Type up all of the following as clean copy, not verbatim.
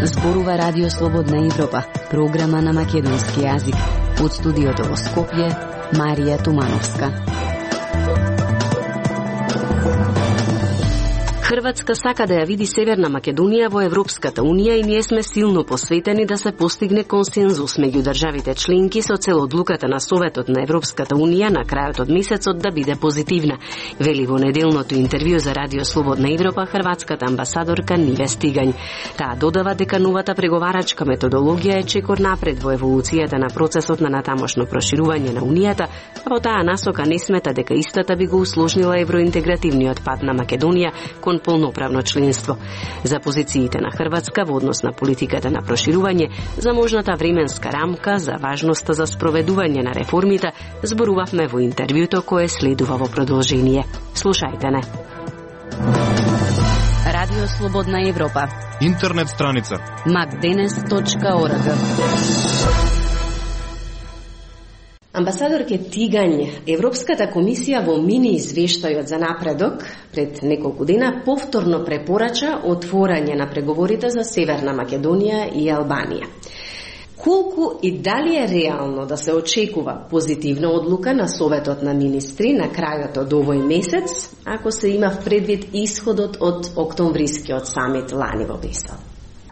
Зборува Радио Слободна Европа, програма на македонски јазик. Од студиото во Скопје, Марија Тумановска. Хрватска сака да ја види Северна Македонија во Европската Унија и ние сме силно посветени да се постигне консензус меѓу државите членки со цел одлуката на Советот на Европската Унија на крајот од месецот да биде позитивна, вели во неделното интервју за Радио Слободна Европа хрватската амбасадорка Ниве Стигањ. Таа додава дека новата преговарачка методологија е чекор напред во еволуцијата на процесот на натамошно проширување на Унијата, а во таа насока не смета дека истата би го усложнила евроинтегративниот пат на Македонија кон полноправно членство. За позициите на Хрватска во однос на политиката на проширување, за можната временска рамка, за важноста за спроведување на реформите, зборувавме во интервјуто кое следува во продолжение. Слушајте не. Радио Слободна Европа. Интернет страница macdenes.org. Амбасадорке Тигањ, Европската комисија во мини извештајот за напредок пред неколку дена повторно препорача отворање на преговорите за Северна Македонија и Албанија. Колку и дали е реално да се очекува позитивна одлука на Советот на министри на крајот од овој месец, ако се има в предвид исходот од октомврискиот самит лани во Брисел?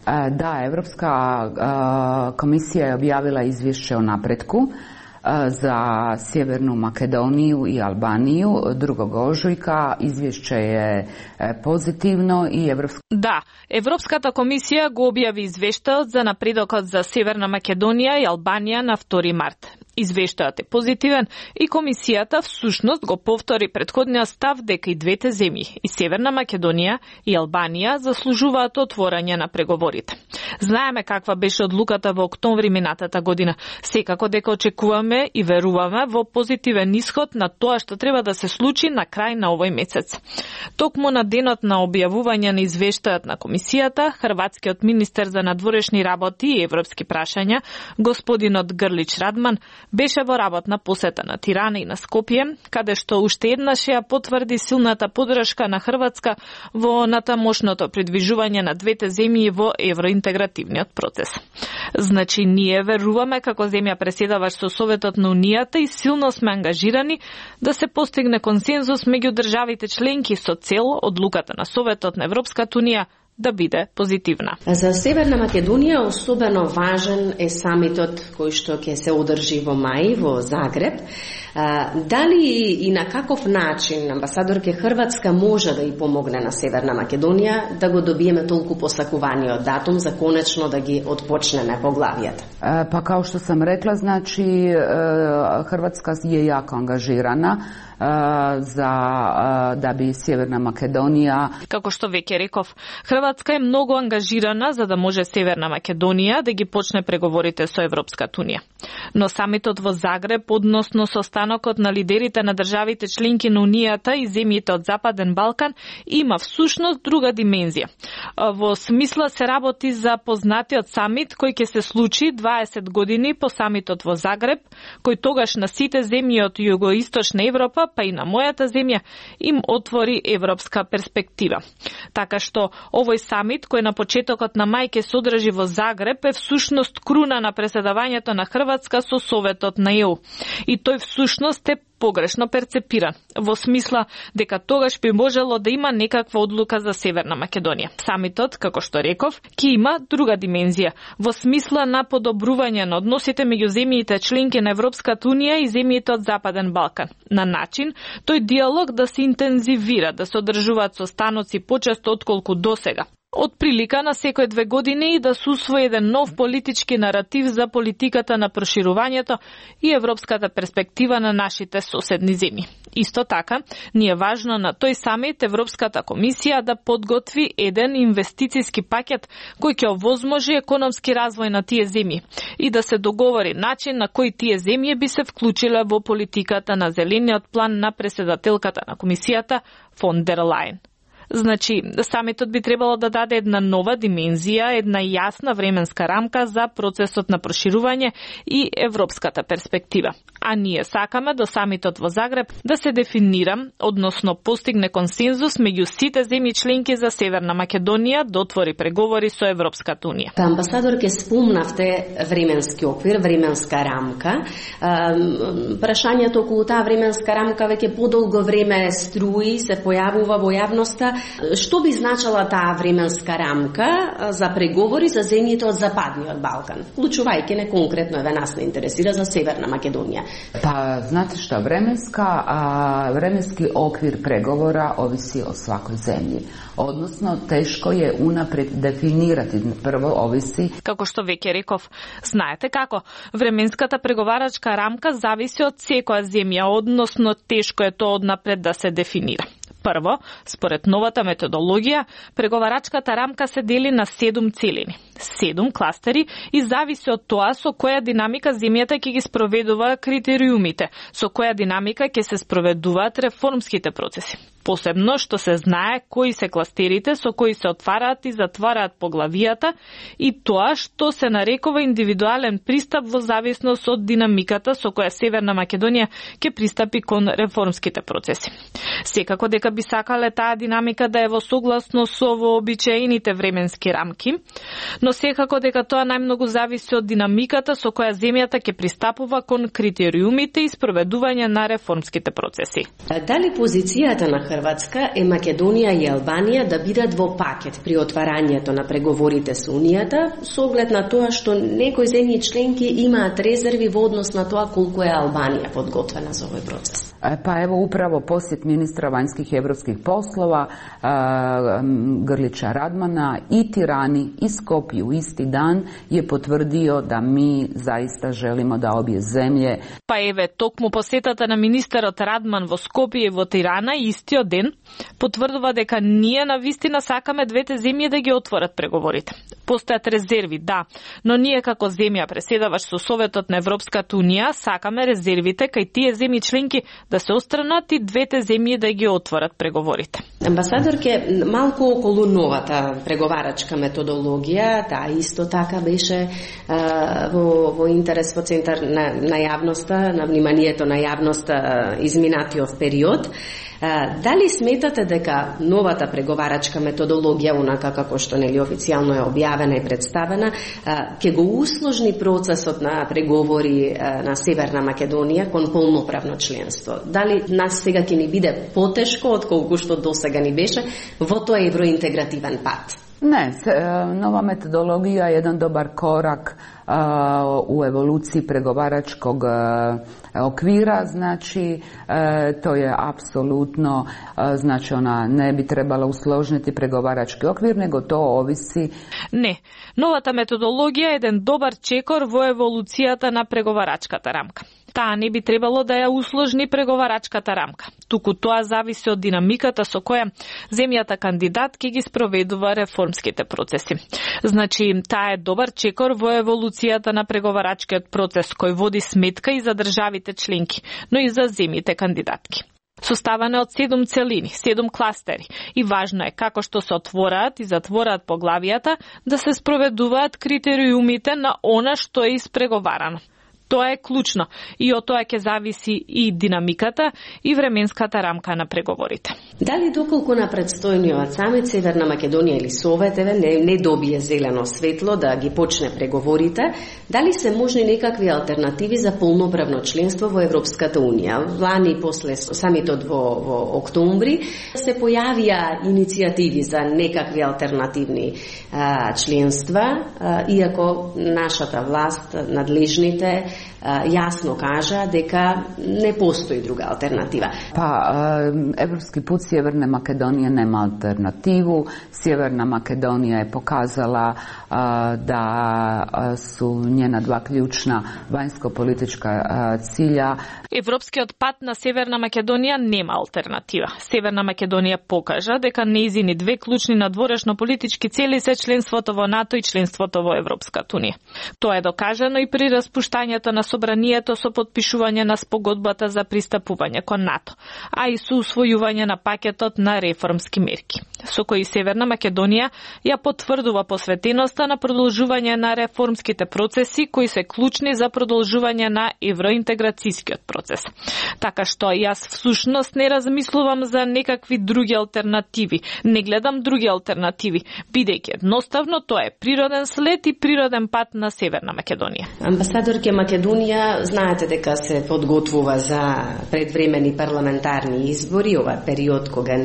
Да, Европска комисија е објавила извешće о напретку za Sjevernu Makedoniju i Albaniju 2. ožujka. Izvješće je pozitivno i Да, Европската комисија го објави извештајот за напредокот за Северна Македонија и Албанија на 2 март. Извештајот е позитивен и комисијата всушност го повтори претходниот став дека и двете земји, и Северна Македонија и Албанија, заслужуваат отворање на преговорите. Знаеме каква беше одлуката во октомври минатата година. Секако дека очекуваме и веруваме во позитивен исход на тоа што треба да се случи на крај на овој месец. Токму на денот на објавување на извештајот на комисијата, хрватскиот министер за надворешни работи и европски прашања, господинот Грлич Радман, беше во работна посета на Тирана и на Скопје, каде што уште еднаш ја потврди силната поддршка на Хрватска во натамошното придвижување на двете земји во евроинтегративниот процес. Значи, ние веруваме како земја преседаваш со Советот на Унијата и силно сме ангажирани да се постигне консензус меѓу државите членки со цел одлуката на Советот на Европската Унија да биде позитивна. За Северна Македонија особено важен е самитот кој што ќе се одржи во мај во Загреб. Дали и на каков начин амбасадорке Хрватска може да и помогне на Северна Македонија да го добиеме толку посакуваниот датум за конечно да ги отпочнеме поглавијата? Па као што сам рекла, значи Хрватска е јако ангажирана за да би Северна Македонија. Како што веќе реков, Хрватска е многу ангажирана за да може Северна Македонија да ги почне преговорите со Европската Унија. Но самитот во Загреб, односно состанокот на лидерите на државите членки на Унијата и земјите од Западен Балкан, има всушност друга димензија. Во смисла се работи за познатиот самит кој ќе се случи 20 години по самитот во Загреб, кој тогаш на сите земји од југоисточна Европа, па и на мојата земја, им отвори европска перспектива. Така што овој самит, кој на почетокот на мај ќе се одржи во Загреб, е всушност круна на преседавањето на Хрватска со Советот на ЕУ. И тој всушност е погрешно перцепиран, во смисла дека тогаш би можело да има некаква одлука за Северна Македонија. Самитот, како што реков, ќе има друга димензија, во смисла на подобрување на односите меѓу земјите членки на Европската Унија и земјите од Западен Балкан, на начин тој диалог да се интензивира, да се одржуваат состаноци почесто отколку досега. Од прилика на секој 2 години и да се усвои еден нов политички наратив за политиката на проширувањето и европската перспектива на нашите соседни земји. Исто така, ни е важно на тој самит Европската комисија да подготви еден инвестициски пакет кој ќе овозможи економски развој на тие земји и да се договори начин на кој тие земји би се вклучиле во политиката на зелениот план на преседателката на комисијата фон дер Лајен. Значи, самитот би требало да даде една нова димензија, една јасна временска рамка за процесот на проширување и европската перспектива. А ние сакаме до самитот во Загреб да се дефинира, односно постигне консензус меѓу сите земји членки за Северна Македонија да отвори преговори со Европската унија. Амбасадор, ке спомнавте временски оквир, временска рамка. Прашањето околу таа временска рамка веќе подолго време струи, се појавува во јавноста. Што би значала таа временска рамка за преговори за земјите од Западниот Балкан, вклучувајќи не конкретно еве нас не интересира за Северна Македонија? Па, знате што, временски оквир преговора овиси о свакој земји. Односно, тешко е унапред дефинирати. Прво овиси... Како што веќе реков, знаете како, временската преговарачка рамка зависи од секоја земја, односно тешко е тоа однапред да се дефинира. Прво, според новата методологија, преговарачката рамка се дели на 7 целини, 7 кластери и зависи од тоа со која динамика земјата ќе ги спроведува критериумите, со која динамика ќе се спроведуваат реформските процеси. Посебно што се знае кои се кластерите со кои се отвараат и затвараат поглавијата и тоа што се нарекува индивидуален пристап во зависност од динамиката со која Северна Македонија ќе пристапи кон реформските процеси. Секако дека би сакале таа динамика да е во согласност со вообичаените временски рамки, но секако дека тоа најмногу зависи од динамиката со која земјата ќе пристапува кон критериумите и спроведување на реформските процеси. Дали позицијата на Хрватска е Македонија и Албанија да бидат во пакет при отварањето на преговорите со Унијата, со оглед на тоа што некои земји членки имаат резерви во однос на тоа колку е Албанија подготвена за овој процес? Па ево управо посет министра вањских и европских послова Грлича Радмана и Тирани и Скопје у исти дан je potvrdio da mi zaista želimo da obje zemlje. Па еве токму посетата на министерот Радман во Скопје и во Тирана истиот ден потврдува дека ние навистина сакаме двете земји да ги отворат преговорите. Постојат резерви, да, но ние како земја преседаваш со Советот на Европската унија сакаме резервите кај тие земји членки да се отстранат и двете земји да ги отворат преговорите. Амбасадорке, малку околу новата преговарачка методологија, таа исто така беше во интерес во центар на јавноста, на вниманието на јавноста изминатиот период. Дали сметате дека новата преговарачка методологија, онака како што нели официјално е објавена и представена, ќе го усложни процесот на преговори на Северна Македонија кон полноправно членство? Дали нас сега ќе ни биде потешко отколку што досега ни беше во тој евроинтегративен пат? Ne, nova metodologija je jedan dobar korak u evoluciji pregovaračkog okvira, znači to je apsolutno, znači ona ne bi trebala usložniti pregovarački okvir, nego to ovisi. Не, новата методологија е еден добар чекор во еволуцијата на преговарачката рамка. Таа не би требало да ја усложни преговарачката рамка. Туку тоа зависи од динамиката со која земјата кандидат ќе ги спроведува реформските процеси. Значи, таа е добар чекор во еволуцијата на преговарачкиот процес кој води сметка и за државите членки, но и за земјите кандидатки. Составена од 7 целини, 7 кластери и важно е како што се отвораат и затвораат поглавијата да се спроведуваат критериумите на она што е испреговарано. Тоа е клучно и од тоа ќе зависи и динамиката и временската рамка на преговорите. Дали доколку на предстојниот самит Северна Македонија или Совет не добие зелено светло да ги почне преговорите, дали се можни некакви алтернативи за полноправно членство во Европската унија? Лани после самитот во октомври се појавија иницијативи за некакви алтернативни членства, иако нашата власт, надлежните јасно кажа дека не постои друга алтернатива. Pa, evropski put Sjeverne Makedonije nema alternativu. Sjeverna Makedonija je pokazala da su njena dva ključna vanjsko-politička cilja. Европскиот пат на Северна Македонија нема алтернатива. Северна Македонија покажа дека нејзини две клучни надворешно-политички цели се членството во НАТО и членството во Европската унија. Тоа е докажано и при распуштањето работата на собранието со потпишување на спогодбата за пристапување кон НАТО, а и со усвојување на пакетот на реформски мерки, со кои Северна Македонија ја потврдува посветеноста на продолжување на реформските процеси кои се клучни за продолжување на евроинтеграцијскиот процес. Така што јас всушност не размислувам за некакви други алтернативи, не гледам други алтернативи, бидејќи едноставно тоа е природен след и природен пат на Северна Македонија. Амбасадорке, Македонија знаете дека се подготвува за предвремени парламентарни избори, ова период кога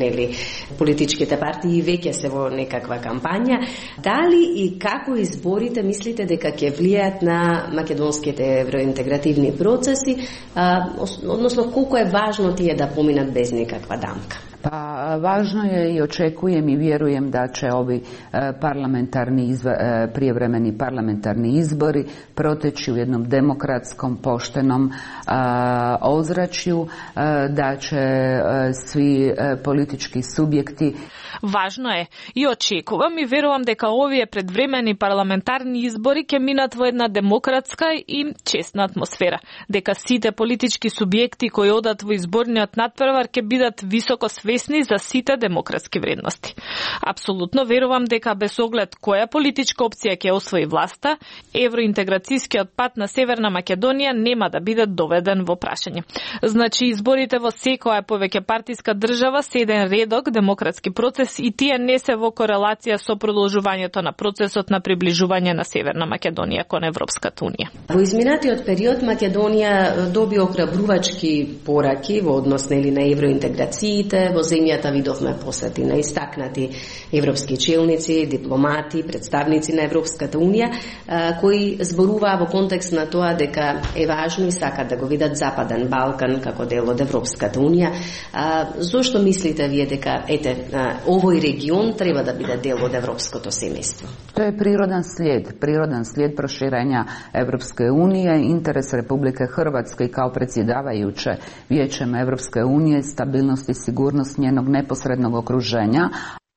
политичките партии веќе се во некаква кампања. Дали и како изборите мислите дека ќе влијаат на македонските евроинтегративни процеси, односно колку е важно тие да поминат без никаква дамка? Pa važno je i očekujem i vjerujem da će ovi prijevremeni parlamentarni izbori proteći u jednom demokratskom, poštenom ozračju, da će svi politički subjekti. Важно е и очекувам и верувам дека овие предвремени парламентарни избори ќе минат во една демократска и честна атмосфера, дека сите политички субјекти кои одат во изборниот надпревар ќе бидат високо свесни за сите демократски вредности. Апсолутно верувам дека без оглед која политичка опција ќе освои власта, евроинтеграцијскиот пат на Северна Македонија нема да биде доведен во прашање. Значи изборите во секоја повеќе партиска држава се еден редок демократски процес и тие не се во корелација со продолжувањето на процесот на приближување на Северна Македонија кон Европската унија. Во изминатиот период Македонија доби охрабрувачки пораки во однос на евроинтеграциите. Во земјата видовме посети на истакнати европски челници, дипломати, представници на Европската унија, кои зборуваа во контекст на тоа дека е важно и сакат да го видат Западен Балкан како дел од Европската унија. Зошто мислите вие дека овој регион треба да биде дел од европското семејство? To je prirodan slijed proširenja Evropske unije, interes Republike Hrvatske kao predsjedavajuće Vijećem Evropske unije, stabilnost i sigurnost njenog neposrednog okruženja.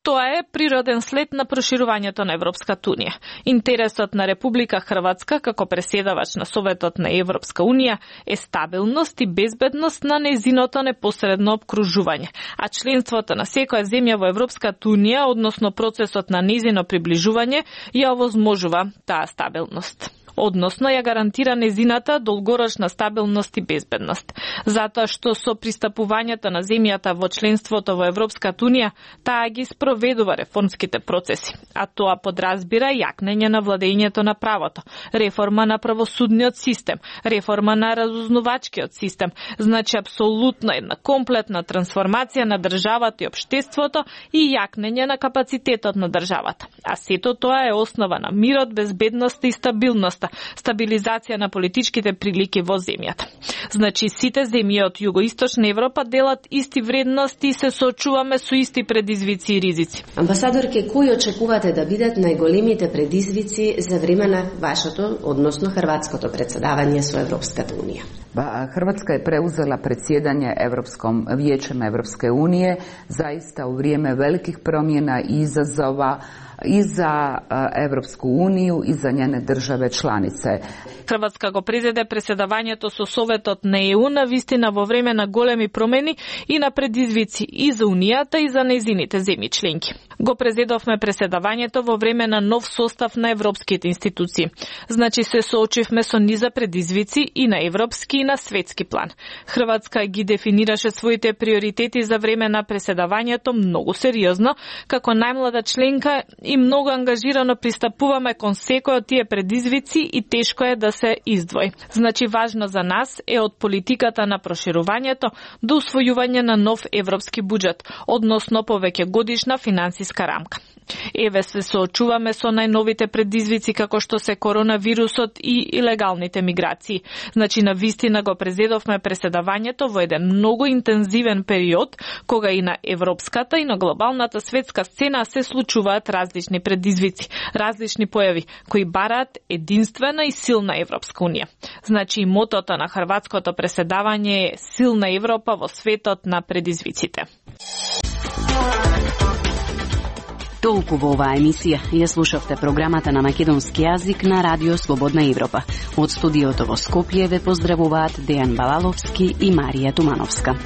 Тоа е природен след на проширувањето на Европската унија. Интересот на Република Хрватска како преседавач на Советот на Европска унија е стабилност и безбедност на нејзиното непосредно обкружување, а членството на секоја земја во Европската унија, односно процесот на нејзино приближување, ја овозможува таа стабилност. Односно ја гарантира незината долгорочна стабилност и безбедност. Затоа што со пристапувањето на земјата во членството во Европската унија, таа ги спроведува реформските процеси, а тоа подразбира јакнење на владењето на правото, реформа на правосудниот систем, реформа на разузнавачкиот систем, значи апсолутно една комплетна трансформација на државата и општеството и јакнење на капацитетот на државата. А сето тоа е основа на мирот, безбедноста и стабилноста, стабилизација на политичките прилики во земјата. Значи, сите земји од Југоисточна Европа делат исти вредности и се соочуваме со исти предизвици и ризици. Амбасадорке, кои очекувате да бидат најголемите предизвици за време на вашето, односно хрватското председавање со Европската унија? Hrvatska je preuzela predsjedanje Vijećem Evropske unije zaista u vrijeme velikih promjena i izazova i za Evropsku uniju i za njene države članice. Хрватска го презеде преседавањето со Советот на ЕУ на вистина во време на големи промени и на предизвици и за Унијата и за нејзините земји членки. Го презедовме преседавањето во време на нов состав на европските институции. Значи се соочивме со низа предизвици и на европски и на светски план. Хрватска ги дефинираше своите приоритети за време на преседавањето многу сериозно, како најмлада членка и многу ангажирано пристапуваме кон секој од тие предизвици и тешко е да се издвои. Значи важно за нас е од политиката на проширувањето до усвојување на нов европски буџет, односно повеќе годишна финансиска рамка. Еве се соочуваме со најновите предизвици како што се коронавирусот и илегалните миграции. Значи на вистина го презедовме преседавањето во еден многу интензивен период кога и на европската и на глобалната светска сцена се случуваат различни предизвици, различни појави кои бараат единствена и силна Европска унија. Значи мотото на хрватското преседавање е силна Европа во светот на предизвиците. толку во оваа емисија. Ја слушавте програмата на македонски јазик на Радио Слободна Европа. Од студиото во Скопје ве поздравуваат Дејан Балаловски и Марија Тумановска.